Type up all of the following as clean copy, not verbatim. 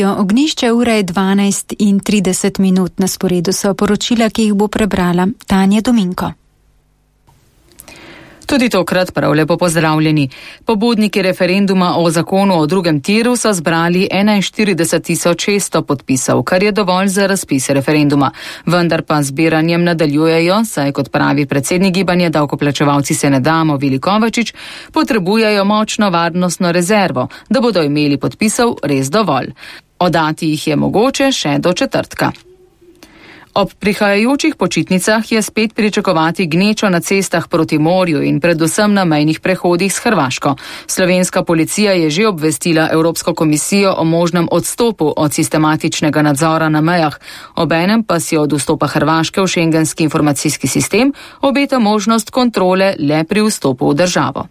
Ognjišče ura je 12:30. Na sporedu so poročila, ki jih bo prebrala Tanja Dominko. Tudi tokrat prav lepo pozdravljeni. Pobudniki referenduma o zakonu o drugem tiru so zbrali 41.600 podpisov, kar je dovolj za razpis referenduma. Vendar pa zbiranjem nadaljujejo, saj kot pravi predsednik gibanja Davkoplačevalci se ne damo Vili Kovačič, potrebujejo močno varnostno rezervo, da bodo imeli podpisov res dovolj. Oddati jih je mogoče še do četrtka. Ob prihajajočih počitnicah je spet pričakovati gnečo na cestah proti morju in predvsem na mejnih prehodih s Hrvaško. Slovenska policija je že obvestila Evropsko komisijo o možnem odstopu od sistematičnega nadzora na mejah. Obenem pa si od vstopa Hrvaške v šengenski informacijski sistem obeta možnost kontrole le pri vstopu v državo.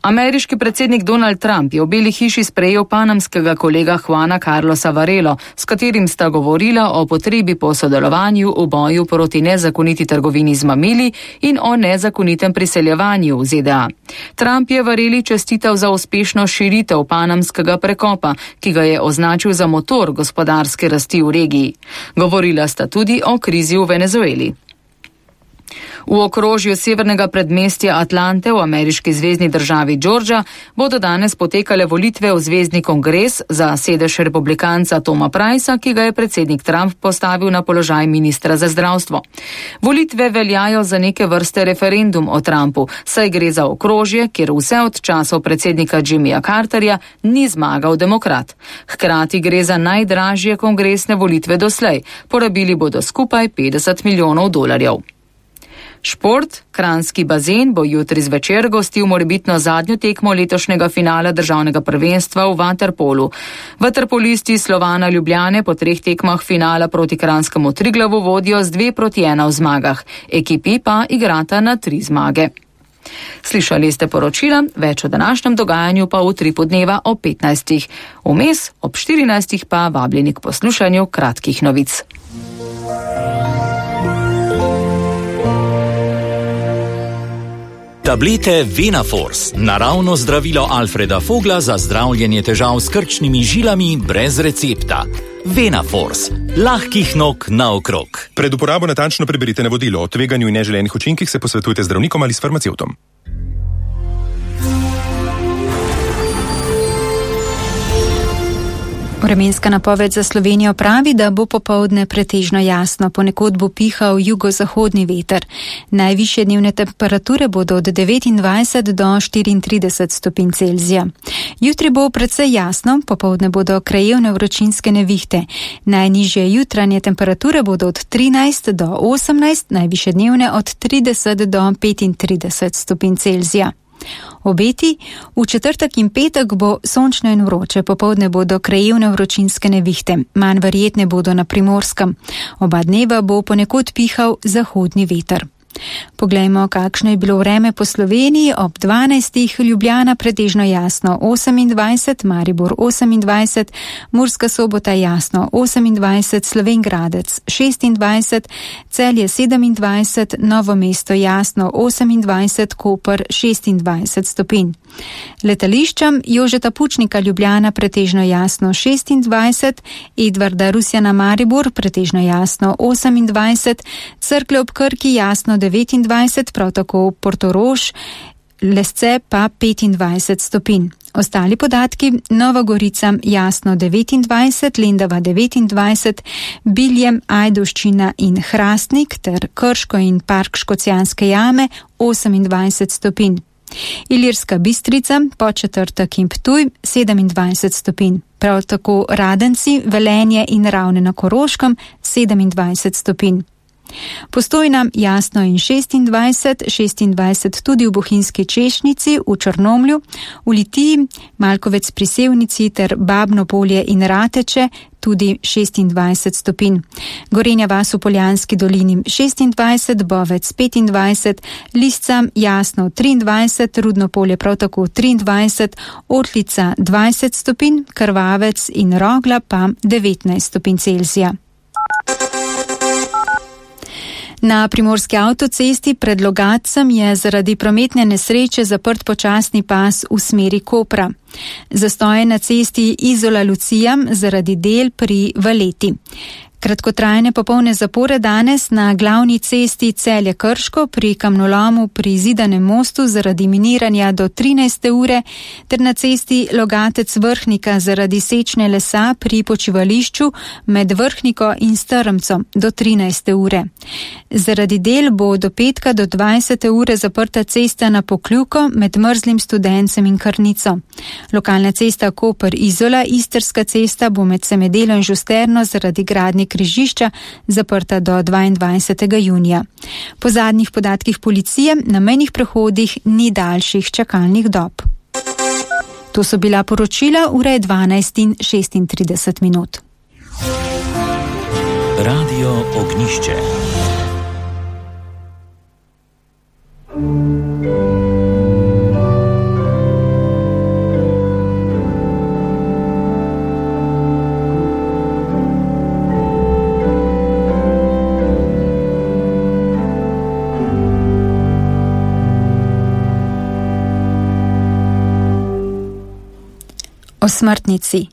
Ameriški predsednik Donald Trump je v Beli hiši sprejel panamskega kolega Juana Carlosa Varelo, s katerim sta govorila o potrebi po sodelovanju v boju proti nezakoniti trgovini z mamili in o nezakonitem priseljevanju v ZDA. Trump je Vareli čestital za uspešno širitev panamskega prekopa, ki ga je označil za motor gospodarske rasti v regiji. Govorila sta tudi o krizi v Venezueli. V okrožju severnega predmestja Atlante v ameriški zvezni državi Georgia bodo danes potekale volitve v zvezni kongres za sedež republikanca Toma Pricea, ki ga je predsednik Trump postavil na položaj ministra za zdravstvo. Volitve veljajo za neke vrste referendum o Trumpu, saj gre za okrožje, kjer vse od časov predsednika Jimmyja Carterja ni zmagal demokrat. Hkrati gre za najdražje kongresne volitve doslej. Porabili bodo skupaj $50 milijonov. Šport, kranjski bazen bo jutri zvečer gostil morebitno zadnjo tekmo letošnjega finala državnega prvenstva v vaterpolu. Vaterpolisti Slovana Ljubljane po 3 tekmah finala proti kranjskemu Triglavu vodijo z 2-1 v zmagah. Ekipi pa igrata na 3 zmage. Slišali ste poročila, več o današnjem dogajanju pa v utripu dneva o 15. Vmes ob 14. pa vabljeni k poslušanju kratkih novic. Tablete Venaforce, naravno zdravilo Alfreda Fogla za zdravljenje težav s krčnimi žilami brez recepta. Venaforce, lahkih nog naokrog. Pred uporabo natančno preberite navodilo. O tveganju in neželenih učinkih se posvetujte z zdravnikom ali s farmacevtom. Vremenska napoved za Slovenijo pravi, da bo popoldne pretežno jasno, ponekod bo pihal jugozahodni veter. Najvišje dnevne temperature bodo od 29 do 34 stopinj Celzija. Jutri bo precej jasno, popoldne bodo krajevne vročinske nevihte. Najnižje jutranje temperature bodo od 13 do 18, najvišje dnevne od 30 do 35 stopinj Celzija. Obeti, v četrtek in petek bo sončno in vroče, popoldne bodo krajevne vročinske nevihte, manj verjetne bodo na Primorskem. Oba dneva bo ponekod pihal zahodni veter. Poglejmo, kakšno je bilo vreme po Sloveniji. Ob 12. Ljubljana pretežno jasno 28, Maribor 28, Murska Sobota jasno 28, Slovenj Gradec 26, Celje 27, Novo mesto jasno 28, Koper 26 stopinj. Letališčem Jožeta Pučnika Ljubljana pretežno jasno 26, Edvarda Rusjana Maribor pretežno jasno 28, Cerklje ob Krki jasno 29, prav tako Portorož, Lesce pa 25 stopinj. Ostali podatki: Nova Gorica jasno 29, Lendava 29, Biljem, Ajdovščina in Hrastnik ter Krško in Park Škocjanske jame 28 stopinj. Ilirska Bistrica, Podčetrtek in Ptuj 27 stopinj. Prav tako Radenci, Velenje in Ravne na Koroškem 27 stopinj. Postojna jasno in 26 tudi v Bohinjski Češnjici, v Črnomlju, v Litiji, Malkovec pri Sevnici ter Babno Polje in Rateče tudi 26 stopinj. Gorenja vas v Poljanski dolini 26, Bovec 25, Lisca jasno 23, Rudno Polje prav tako 23, Otlica 20 stopinj, Krvavec in Rogla pa 19 stopinj Celzija. Na primorski avtocesti pred Logatcem je zaradi prometne nesreče zaprt počasni pas v smeri Kopra. Zastoj na cesti Izola-Lucija zaradi del pri Valeti. Kratkotrajne popolne zapore danes na glavni cesti Celje-Krško pri kamnolomu pri Zidanem mostu zaradi miniranja do 13. ure ter na cesti Logatec-Vrhnika zaradi sečne lesa pri počivališču med Vrhniko in Strmcem do 13. ure. Zaradi del bo do petka do 20. ure zaprta cesta na Pokljuko med Mrzlim Studencem in Krnico. Lokalna cesta Koper-Izola, Istrska cesta bo med Semedelo in Žusterno zaradi gradnje križišča zaprta do 22. junija. Po zadnjih podatkih policije na mejnih prehodih ni daljših čakalnih dob. To so bila poročila, ura je 12:36. Radio Ognjišče. O smrtnici.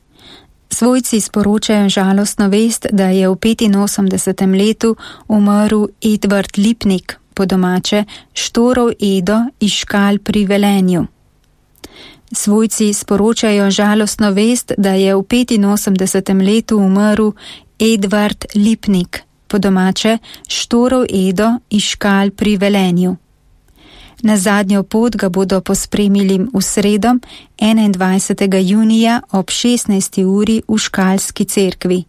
Svojci sporočajo žalostno vest, da je v 85. letu umrl Edvard Lipnik, po domače Štorov Edo iz Škal pri Velenju. Svojci sporočajo žalostno vest, da je v 85. letu umrl Edvard Lipnik, po domače Štorov Edo iz Škal pri Velenju. Na zadnjo pot ga bodo pospremili v sredo 21. junija ob 16. uri v Škalski cerkvi.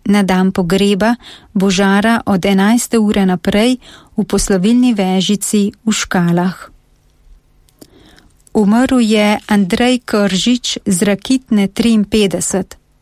Na dan pogreba bo žara od 11. ure naprej v poslovilni vežici v Škalah. Umrl je Andrej Kržič z Rakitne 53.